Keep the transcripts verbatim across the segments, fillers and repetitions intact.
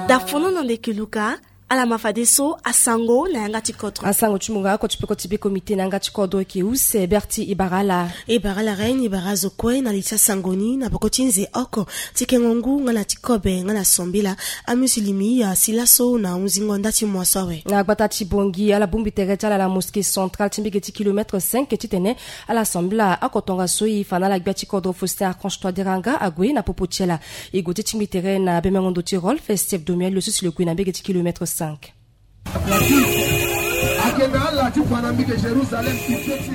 Dafono na ndeke luka. Ala ma fadeso asango na yanga ti kodro. Asango ti munga oko ti peko ti be komite na yanga ti kodro eke use berti ibara ala. Ibara ala ren ibara azo kue na li ti asango ni na peko ti nze oko ti kengo ngu nga na ti kobe nga na sambela. Amusilimi asi laso na hunzingo nda ti moiso awe. Na gbata ti bongi ala bongbi tere ti ala na mosquée centrale ti mbege ti kilomètre cinq titene ala sambela oko tongaso e fa na ala gbia ti kodro Faustin Archange Touadéra nga ague na popo ti ala. E gue ti tingbi tere na bemengo ndo ti Rolf Steve Domiel lo so si lo gue na mbege ti kilomètre cinq.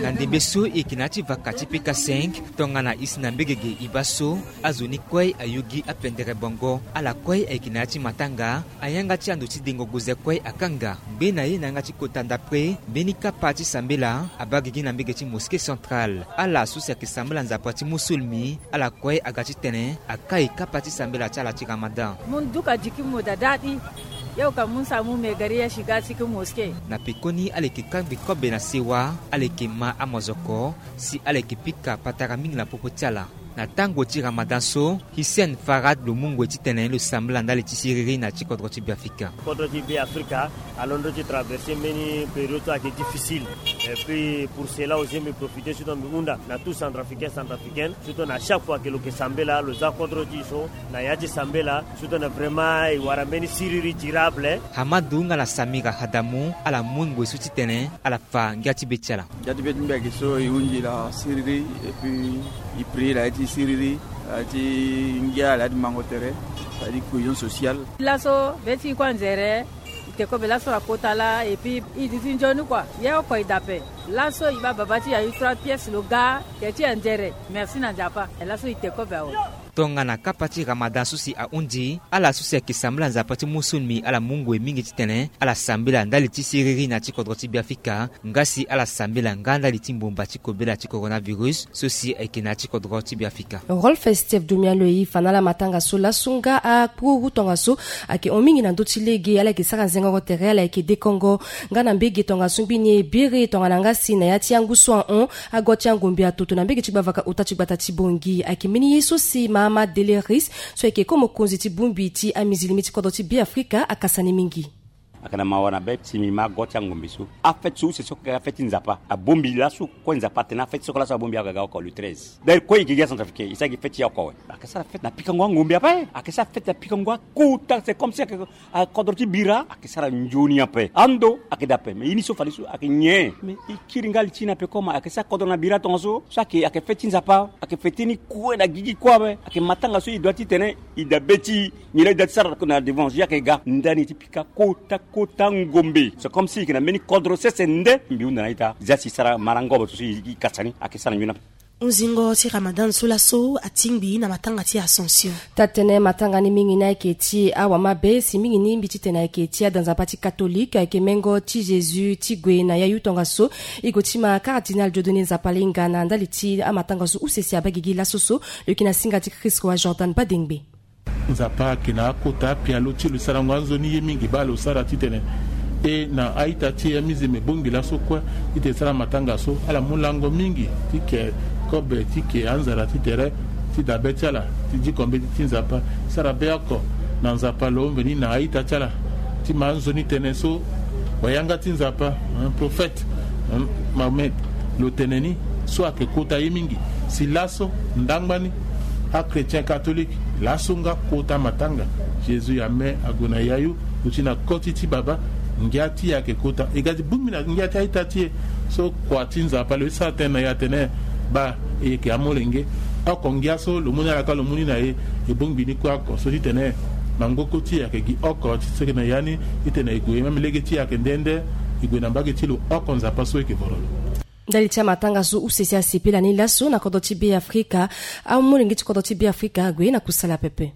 Na ndembe so e yeke na ya ti vaka ti peka cinq tongana isi na mbegege e baa so azo ni kue ayogi apendere bongo. Ala kue ayeke na ya ti matanga. Ayanga ti ando ti dengo goze kue akanga ngbe na ye na yanga ti kota ndapre mbeni kapa ti sambela abaa gigi na mbege ti mosquée centrale. Ala so si ayeke sambela nzapa ti musulmi ala kue aga titene akai kapa ti sambela ti ala ti ramadan. Mu nduka diki mu dada ti ye oka mu nsa mu megari ya shiga ti ki mosquée. Na pekoni ala yeke kangbi kobe na sewa. Ala yeke ma amozoko si ala yeke pika patara mingi na popo ti ala. Na tango ti ramadan so Hissène Farad lo mu ngoi titene lo sambela ndali ti siriri na ti kodro ti Beafrika. Kodro ti Beafrika alondo ti traverse mbeni période so ayeke difficile. Et puis pour cela aussi mbi profite surtout mbi hunda na tout centrafricain centrafricaine surtout na chaque fois ke lo ke sambela lo za kodro ti so na ya ti sambela surtout na vraiment e wara mbeni siriri durable. Hamadu nga na Samira Hadamu ala mu ngoi so titene ala fa ngia ti be ti ala. Ngia ti be ti mbi ayeke so e hunzi la siriri et puis e prier la ya ti siriri la ya ti ngia la ya ti mango tere la ya ti cohésion sociale. Laso be ti e kue anzere. E te kobe laso akota laa et puis e duti nzoni kua ye oko e dape. Laso e baa baba ti e ayu trois pièces lo ga ke ti anzere. Merci na nzapa. Laso e te kobe awe. Tongana kapa ti ramadan so si ahunzi ala so si ayeke sambela nzapa ti musulmi ala mu ngoi mingi titene ala sambela ndali ti siriri na ti kodro ti Beafrika. Nga si ala sambela nga ndali ti mbumba ti kobela ti coronavirus so si ayeke na ya ti kodro ti Beafrika. Rolf Steve Domian lo e fa na ala matanga so laso nga akpururu tongaso ayeke hon mingi na ndö ti lege. Ala yeke sara nzengo tere ala yeke dekongo nga na mbege tongaso ngbini e bere tongana nga si na ya ti angu so ahon ago ti angombe atoto na mbege ti gbavaka ota ti gbata ti bongi. Ayeke mbeni ye so si Mahamat Deleris so ayeke ko mokonzi ti bongbi ti amizilimi ti kodro ti Beafrika akasa ni mingi. Ayeke na mawa na be ti mbi ma ago ti angombe so afete so use so ayeke afete ti nzapa abongbi laso kue nzapa atene afete so kue laso abongbi aga ga oko le treize. D'ailleurs kue e yeke gi acentrafricain e sara gi fete ti oko awe. Ayeke sara fete na pikango angombe ape. Ayeke sara fete na pikango akota c'est comme si ayeke akodro ti bira ayeke sara nzoni ape ando ayeke daa ape mais ye ni so fade so ayeke nyen mais e kiri nga li ti e na pekoma ayeke sara kodro na bira tongaso so ayeke ayeke fete ti nzapa ayeke fete ni kue na gigi kue ape. Ayeke matanga so e doit titene e daa be ti e. Nyen la e daa ti sara na devant e ayeke ga ndani ti pika kota kota ngombe c'est comme si e yeke na mbeni kodro sese nde mbi hunda na ita za si e sara marangobo so si e kasa ni ayeke sara nzoni ape. Hunzingo ti ramadan so laso atingbi na matanga ti Assomption. Taa-tënë matanga ni mingi ni ayeke ti awamabe si mingi ni mbi titene ayeke ti ada nzapa ti katolike ayeke mengo ti Jésus ti gue na yayu tongaso. E gue ti ma cardinal Dieudonné Nzapa Linga na ndali ti amatanga so use si abaa gigi laso so lo yeke na singa ti Christ roi Jordan Badengbe. Nzapa ayeke na akota apialo ti lo sarango anzoni ye mingi baa lo sara titene e na a-ita ti e amizeme bongbi laso kue titene e sara matanga so ala mu lango mingi ti ke kobe ti ke anzara ti tere ti dabe ti ala ti diko mbeti ti Nzapa. Sara be oko na Nzapa lo mveni na a-ita ti ala ti ma anzoni tënë so wayanga ti Nzapa, hein, prophète, hein, Mahomet lo tene ni so ayeke kota ye mingi. Si laso ndangba ni achrétien catholique laso nga kota matanga Jésus ame ague na yayu lo ti na koti ti baba. Ngia ti e ayeke kota e ga ti bongbi na ngia ti a-ita ti e so kua ti Nzapa lo ye sara tënë na e atene baa e yeke amolenge. Oko ngia so lo mu ni ala ka lo mu ni na e e bongbi ni kue oko so titene mangboko ti e ayeke gi oko ti seke na ya ni titene e gue même lege ti e ayeke nde nde e gue na mbage ti lo oko Nzapa so e yeke voro lo. Ndali ti amatanga so use si asepela ni laso na kodro ti Beafrika. Amolenge ti kodro ti Beafrika ague na kusala pepe.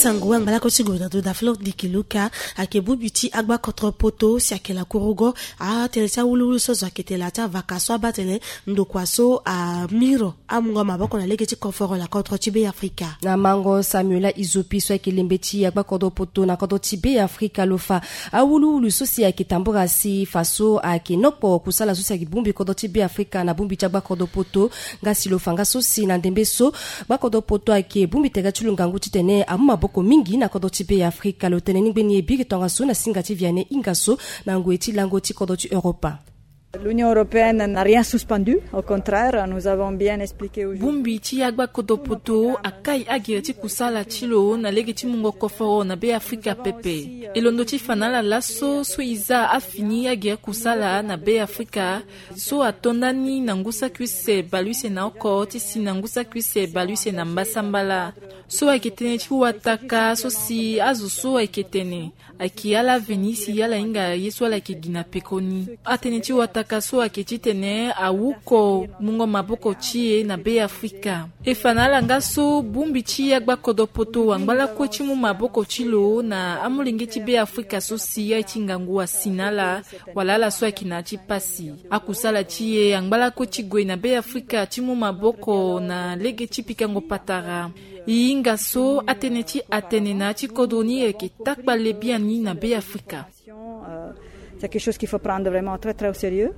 Sango wa ngbalako ti gue na ndo da Flore Ndiki Luka. Ayeke bongbi ti agbakodro poto si ayeke lakorogo. Atënë ti awuluwulu so azo ayeke tene la ti avaka so abaa tene ndokua so amiro amungo maboko na lege ti koforo na kodro ti Be Afrika. Na mango Samuela Izopi so ayeke lembe ti agbakodro poto na kodro ti Be Afrika lo fa awuluwulu so si ayeke tambura si fa so ayeke nokpo kusala so si ayeke bongbi kodro ti Be Afrika na bongbi ti agbakodro poto. Nga si lo fa nga so si na ndembe so gbakodro poto ayeke bongbi tere ti lo ngangu titene amu maboko mingi na kodro ti Be Afrika. Lo tene ni ngbeni e biri tongaso na singa ti Vianney Ingasso na ngoi ti lango ti kodro ti Europa. L'Union européenne n'a rien suspendu, au contraire, nous avons bien expliqué aujourd'hui. Bongbi ti agbakodro poto akai agere ti kusala ti lo na lege ti mungo koforo na Be Afrika pepe. E londo ti fa na ala laso so e za afini agere kusala na Be Afrika, so ato ndani na ngu saki use baleuse na oko ti si na ngu saki use baleuse na mbasambala. So ayeke tënë ti wataka so si azo so ayeke tene ayeke ala veni si ala hinga ye so ala yeke gi na pekoni. Atënë ti wataka so ayeke titene awuko mungo maboko ti e na Be Afrika. E fa na ala nga so bongbi ti agbakodro poto angba lakue ti mu maboko ti lo na amolenge ti Be Afrika so si aye ti ngangu asi na ala, wala ala so ayeke na ya ti pasi. Akusala ti e angba lakue ti gue na Be Afrika ti mu maboko na lege ti pikango patara. E hinga so atënë ti atene na ya ti kodro ni ayeke takpale biani na Be Afrika. Euh, c'est quelque chose qu'il faut prendre vraiment très, très au sérieux.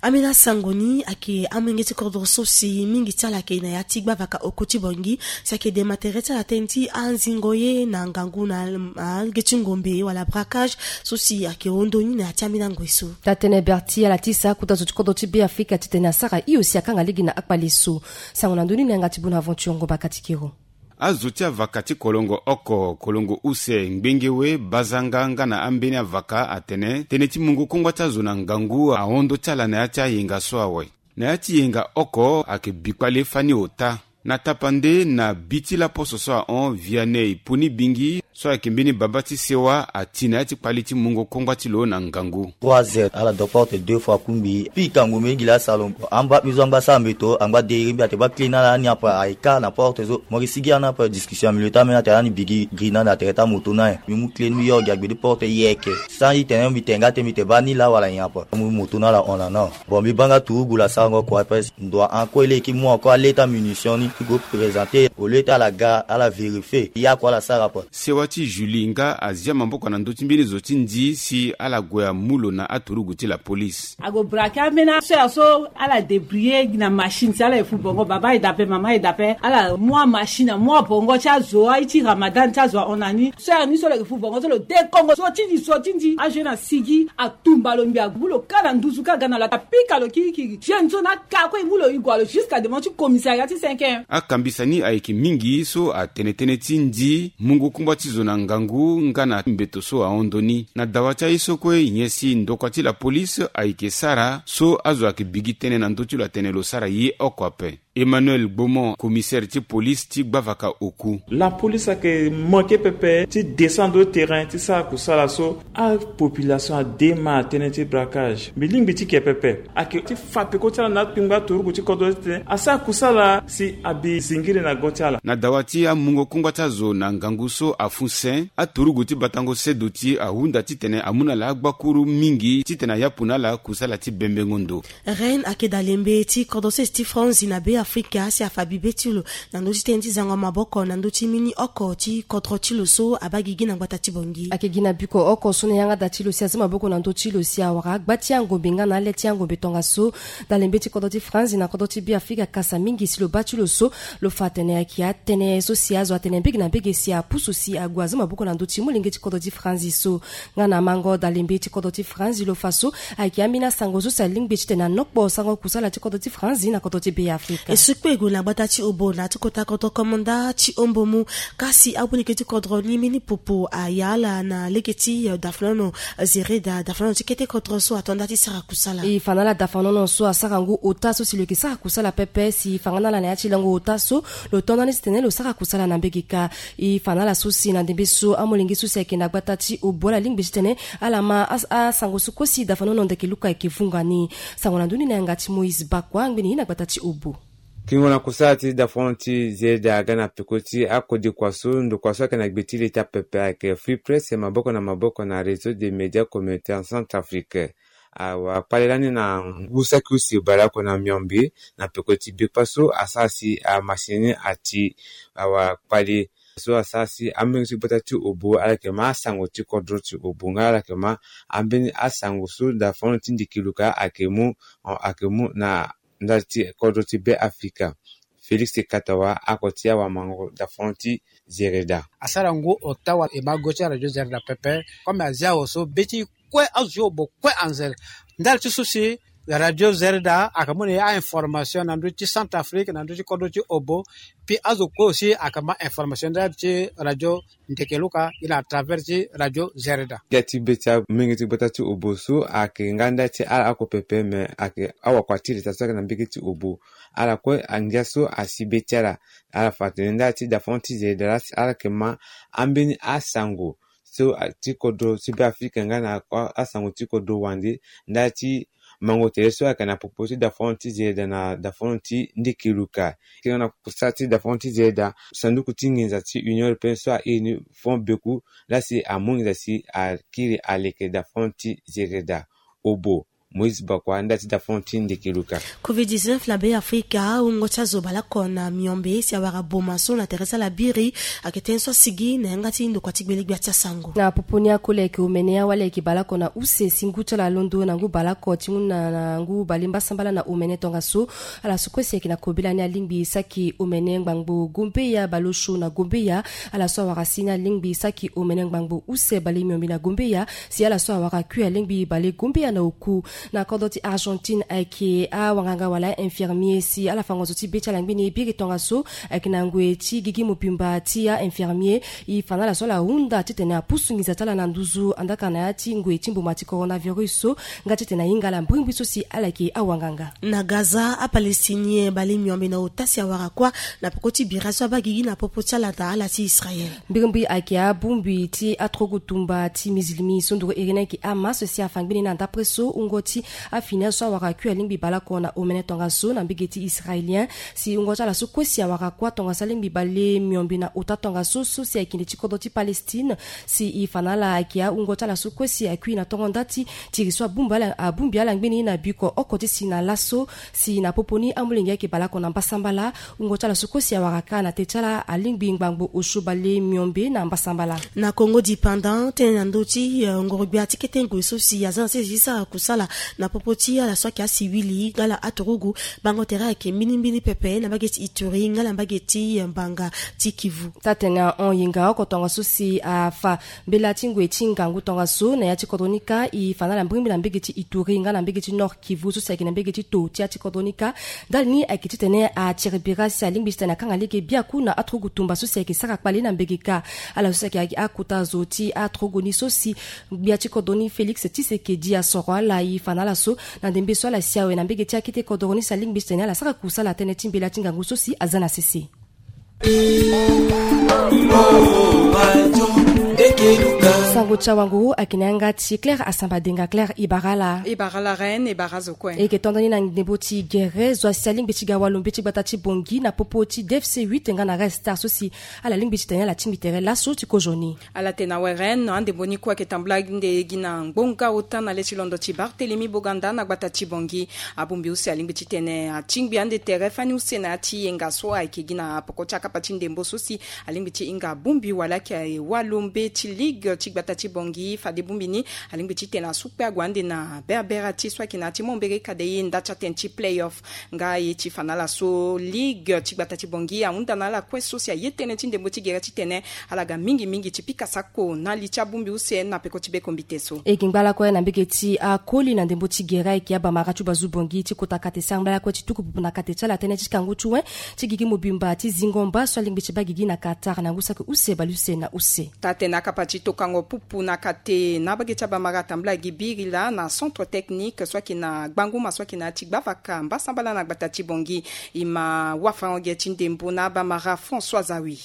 Ambeni asango ni ayeke amolenge ti kodro so si mingi ti ala ayeke na ya ti gbavaka oko ti Bangui, si ayeke dema tere ti ala tënë ti anzingo ye na ngangu na, ah, lege ti ngombe wala braquage so si ayeke hondo ni na ya ti ambeni angoi so. Taa-tënë Berti ala tisa kota zo ti kodro ti Be Afrika titene asara hio si akanga lege na akpale so. Sango na ndö ni na yanga ti Bonaventure Ngomba Katikero. Azo ti avaka ti kolongo oko, kolongo use, ngbenge we, bazanga nga na ambeni avaka atene tënë ti mungo kongba ti azo na ngangu ahondo ti ala na ya ti ayenga so awe. Na ya ti yenga oko ayeke bikpale fani ota. Na tapande na bi ti laposo so ahon Vianney Poni Bingi so ayeke mbeni baba ti sewa ati na ya ti kpali ti mungo kongba ti lo na ngangu. Trois heures ala do porte deux fois kungbi. Pikango mingi la salo. Amba bizo angba sa mbeto angba de iri mbi ate ba clé na la ni apa aye ka na porte so. Mo gi sigi ana pa discussion milieu ta mena te ani bigi gri na na tere ta moto na ye. Mi mu clé ni mi yo gi agbe di porte yeke. Sa itene mi te nga te mi te ba ni la wala nyen apa. Mu moto na la hon na no. Bon, mbi baa nga turugu la sarango kue ape. Ndo ahon kue leki mu encore aleta munition ni ti go présenter au lieu ti ala ga ala vérifier. Ya kue ala sara ape. Sewa ti Julie nga azia maboko na ndö ti mbeni zo ti ndi si ala gue amu lo na aturugu ti la police. Ague braquer ambeni aso ya so ala débrouiller gi na machine si ala ye fu bongo, baba ye dape, mama ye dape, ala mu amachine amu abongo ti azo aye ti Ramadan ti azo ahon na ni. So ya ni so lo yeke fu bongo so lo dekongo so ti ndi so ti ndi azo ye na sigi. Tumba lo mbi agu lo ka na nduzu ka ga na lo apika lo kirikiri. Jeune so na ka kue e mu lo e gue lo jusqu'à devant ti commissariat ti cinq. Akambisa ni ayeke mingi so atene tënë ti ndi mungo kungba ti zo na ngangu nga na mbeto so ahon ndo ni. Na dawa ti aye so kue nyen si ndokua ti la police ayeke sara so azo ayeke bigi tënë na ndö ti lo atene lo sara ye oko ape. Emmanuel Gbomo, commissaire ti police ti gbavaka oku. La police ayeke manke pepe ti descendre au terrain ti sara kusala so apopulation ade ma atënë ti braquage. Mbi lingbi ti ke pepe ayeke ti fa peko ti ala na akpingba turugu ti kodro ti tene asara kusala si abi zingiri na go ti ala. Na dawa ti amungo kongba ti azo na ngangu so afu sen, aturugu ti batango seduti ahunda titene amu na ala agbakuru mingi titene ayapu na ala kusala ti bembengo ndo. Rennes ayeke dalembe ti kodro sese ti Franzi na Be Afrika si afa bibe ti lo na ndö ti tënë ti zango maboko na ndö ti mbeni oko ti kodro ti lo so abaa gigi na ngbata ti Bangui. Ayeke gi na biko oko so na yanga da ti lo si aza maboko na ndö ti lo si awara gba ti angombe nga na ale ti angombe tongaso. Dalembe ti kodro ti Franzi na kodro ti Be Afrika akasa mingi si lo baa ti lo so lo fa atene ayeke atënë so si azo atene mbege na mbege si apusu si ague aza maboko na ndö ti molenge ti kodro ti Franzi so. Nga na mango dalembe ti kodro ti Franzi lo fa so ayeke ambeni asango so si alingbi titene anokpo sango kusala ti kodro ti Franzi na kodro ti Be Afrika. E so kpe e gue na gbata ti Obo na ya ti kota kodro komanda ti Ombomu. Kasi amolenge ti kodro ni mbeni popo aya ala na lege ti, eh, dafanono, eh, zereda dafanono ti kete kodro so ato nda ti sara kusala. E fa na ala dafanono so asara ngu ota so si lo yeke sara kusala pepe si e fa nga na ala na ya ti lango ota so lo to nda ni titene lo sara kusala na mbege kâ. E fa na ala so si na ndembe so amolenge so si ayeke na gbata ti Obo ala lingbi titene ala ma as-, asango so kue si dafanono ndeke luka ayeke vunga ni. Sango na ndö ni na yanga ti Moïse Bakua ngbeni ye na gbata ti Obo. Kingo na kusala ti dafono ti zeda aga na peko ti akodikua so ndokua so ayeke na gbe ti leta pepe ayeke Free Presse maboko na maboko na réseau des médias communautaires en Centrafrique. Awa kpale lani na ngu saki use baleoko na miombe na peko ti bekpa so asara si amasini ati awa kpale so asara si ambeni ti gbata ti obo ala yeke ma asango ti kodro ti obo nga ala yeke ma ambeni asango so dafono ti ndikiluka ayeke mu ayeke mu na ndali ti kodro ti Be Afrika. Félix Katawa ako ti awamango dafono ti Zereda. Asara ngu ota wa e ma go ti aradio Zereda pepe. Comme azia awo so be ti kue azo ti obo kue anzere ndali ti so si radio Zereda ayeke mu na e a-information na ndö ti Centrafrique na ndö ti kodro ti obo. Puis azo kue aussi ayeke ma information ndali ti radio Ndeke Luka gi na à travers ti radio Zereda. Ngia ti be ti amenge ti gbata ti obo so ayeke nga ndali ti ala oko pepe me ayeke awakua ti leta so ayeke na mbege ti obo. Ala kue angia so asi be ti ala. Ala fa atene ndali ti dafono ti Zereda laa si ala yeke ma ambeni asango so ti kodro ti Be Afrika nga na asango ti kodro wande ndali ti mango tere so ayeke na popo ti dafono ti Zereda na dafono ti Ndeke Luka. Kiri na kusala ti dafono ti Zereda sanduku ti nginza ti Union Européenne so airi ni fond beku laa si amu nginza si akiri aleke dafono ti Zereda. Obo Moïse Bakwa ndali ti dafono ti Ndeke Luka. Covid dix-neuf na Be Afrika wungo ti azo baleoko na miombe si awara boma so na tere ti ala biri. Ayeke tënë so asigi na yanga ti ndokua ti gbele gbia ti asango. Na popo ni akoli ayeke omene awali ayeke baleoko na use si ngu ti ala alondo na ngu baleoko ti ngu na ngu bale mbasambala na omene tongaso. Ala so kue si ayeke na kobela ni alingbi saki omene ngbangbo Gombeya baleosio na Gombeya. Ala so awara si ni alingbi saki omene ngbangbo use bale miombe na Gombeya. Si ala so awara kui alingbi bale Gombeya na oku. Na kodro ti Argentine ayeke awanganga wala infirmier si ala fango zo ti be ti ala ngbeni biri tongaso. Ayeke na ngoi ti gigi mobimba ti a-infirmier. E fa na ala so ala hunda titene apusu nginza ti ala na nduzu andaka na ya ti ngoi ti mboma ti coronavirus so nga titene ahinga ala mbrimbri so si ala yeke awanganga. Na Gaza apalestinien bale miombe na ota si awara kuâ na peko ti bira so abaa gigi na popo ti ala na ala ti Israel. Mbrimbri ayeke abongbi ti atrogu tumba ti mizilimi so nduru iri ni ayeke Hamas si afa ngbeni na ndapre so wungo ti afini azo so awara kui alingbi baleoko na omene tongaso na mbege ti israélien. Si wungo ti ala so kue si awara kuâ tongaso alingbi bale miombe na ota tongaso so si ayeke kende ti kodro ti Palestine. Si e fa na ala ayeke awungo ti ala so kue si akui na tongo nda ti tiri so abongbi ala ngbeni na biko oko ti si na laso. Si na popo ni amolenge ayeke baleoko na mbasambala. Wungo ti ala so kue si awara kâ na te ti ala alingbi ngbangbo osio bale miombe na mbasambala. Na Congo dipendant tënë na ndö ti ngorogbia ti kete ngoi so si aza na sese ti sara kusala na popo ti ala so ayeke asiwili nga ala aturugu. Bango tere ayeke mbirimbiri pepe na mbage ti Ituri nga na mbage ti mbanga ti Kivu. Taa-tene ahon yenga oko tongaso si afa mbela ti ngoi ti ngangu tongaso na ya ti kodro ni kâ. E fa na ala mbrimbri na mbage ti Ituri nga na mbage ti Nord Kivu so si ayeke na mbage ti to ti ya ti kodro ni kâ. Ndali ni ayeke titene atiri bira si alingbi titene akanga lege biaku na aturugu tumba so si ayeke sara kpale na mbage kâ. Ala so si ayeke akota zo ti aturugu ni so si gbia ti kodro ni Félix Tshisekedi asoro ala e fa na ala so na ndembe so ala si awe na mbage ti akete kodro ni si alingbi titene ala sara kusala tënë ti mbela ti ngangu so si aza na sese. Sango ti awanguru ayeke na yanga ti Claire Asamba Denga. Claire, e bara ala. E bara ala Reine, e bara azo kue. E yeke tonda ni na ndembo ti gere zo asi alingbi ti ga walombe ti gbata ti Bongi na popo ti D F C huit nga na Red Star so si ala lingbi titene ala tingbi tere laso ti kozoni. Ala tene awe Reine, andembo ni kue ayeke tambula ande gi na ngbonga ota na le ti londo ti Barthélemy Boganda na gbata ti Bongi. Abongbi use alingbi titene atingbi ande tere fani use na ya ti yenga so ayeke gi na poko ti akapa ti ndembo so si alingbi ti hinga bongbi wala ayeke walombe ti ligue ti gbata ti Bongi. Fade bongbi ni alingbi titene asu kpe ague ande na berbera ti so ayeke na ya ti mombere kade ye nda ti atene ti play-off. Nga ye ti fa na ala so ligue ti gbata ti Bongi ahunda na ala kue so si aye tënë ti ndembo ti gere titene ala ga mingi mingi ti pika sako na li ti abongbi use na peko ti be kombite so. E gi ngbala kue na mbege ti akoli na ndembo ti gere ayeke abamara ti bazu Bongi ti kota kate sara ngbala kue ti tuku pupu na kate ti ala tënë ti kangu ti wen ti gigi mobimba ti zingo mba so alingbi ti baa gigi na Qatar na ngu saki use baleuse na use. Taa-tene akapa ti tokango pupu na kate na mbage ti abamara atambula gi biri laa na centre technique so ayeke na gbanguma so ayeke na ya ti gbavaka mbasambala na gbata ti Bongi. E ma wafarango ge ti ndembo na abamara François Zawi.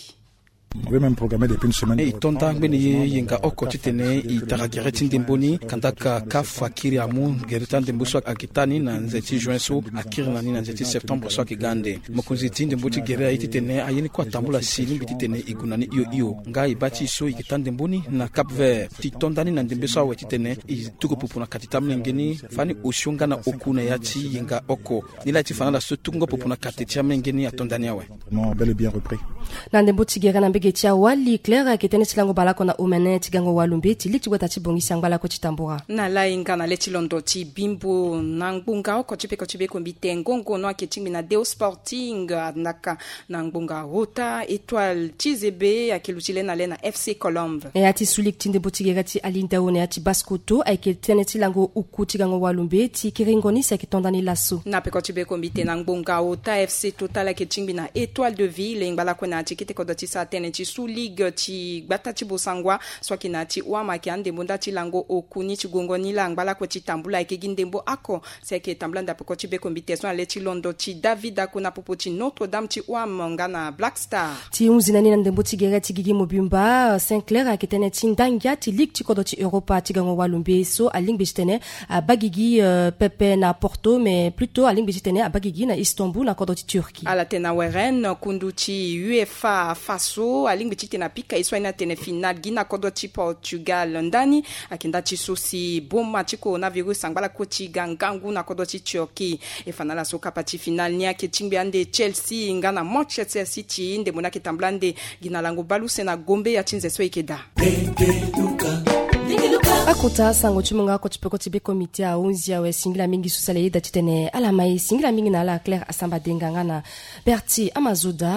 Même programmé depuis une semaine. E, e to nda ngbene ye yenga oko titene e tara gere ti ndembo ni. Kandaka CAF akiri amu gere ti andembo so ayeke taa ni na nze ti juin so, akiri na ni na nze ti septembre so ayeke ga ande. Mokonzi ti ndembo ti gere aye titene aye ni kue atambula si lingbi titene e gue na ni hio hio. Nga e baa ti e so e yeke taa ndembo ni na Cap Vert ti to nda ni na ndembe so awe titene e tuku pupu na kati ti amolenge ni fani osio nga na oku na ya ti yenga oko. Ni laa e ti fa na ala so tukungo popo na kate ti amenge ni ato ndani awe. Entraînement bel et bien repris. Na ndembo ti gere na mbege ti awali, Claire ayeke tënë ti lango baleoko na omene ti gango walumbe ti ligue ti gbata ti bongisi angba lakue ti tambura. Na lainga na le ti londo ti bimbo na ngbonga oko ti peko ti bekombite ngongo no ayeke tingbi na Deo Sporting, andaka na ngbonga ota Etoile ti Zebe ayeke luti le na le na FC Colombe. Na ya ti sulik ti ndembo ti gere ti alindao na ya ti baskoto ayeke tënë ti lango uku ti gango walumbe ti kiringo ni si ayeke to ndani laso. Na peko ti bekombite na ngbonga ota FC Total ayeke tingbi na Etoile de Ville ngba lakue na ya ti kete kodro ti sara tënë ti sulig ti gbata ti bosangwa so ayeke na ya ti wama ayeke andembo nda ti lango oku ni ti gongo ni laa ngba lakue ti tambula ayeke gi ndembo oko. Si ayeke tambula ndapoko ti bekombite so na le ti londo ti David Ako na popo ti Notre Dame ti Wam nga na Black Star. Ti hunzi na ni na ndembo ti gere ti gigi mobimba, Saint Clair ayeke tënë ti ndangia ti ligue ti kodro ti Europa ti gango walumbe so alingbi titene abaa gigi, euh, pepe na Porto, mais plutôt alingbi titene abaa gigi na Istanbul na kodro ti Turquie. Ala tene na weren kundu ti UEFA faso alingbi titene apika ye so aye ni atene final gi na kodro ti Portugal ndani. Ayeke nda ti so si boma ti coronavirus angba lakue ti ga ngangu na kodro ti Turquie. E fa na ala so kapa ti final ni ayeke tingbi ande Chelsea nga na Manchester City ndembo ni ayeke tambula ande gi na lango baleuse na gombe ya ti nze so e yeke daa. Akota sango ti mungo oko ti peko ti bekombite ahunzi awe. Singila mingi so si ala yeda titene ala ma e. Singila mingi na ala Claire Asamba Denga nga na Berti Amazoda.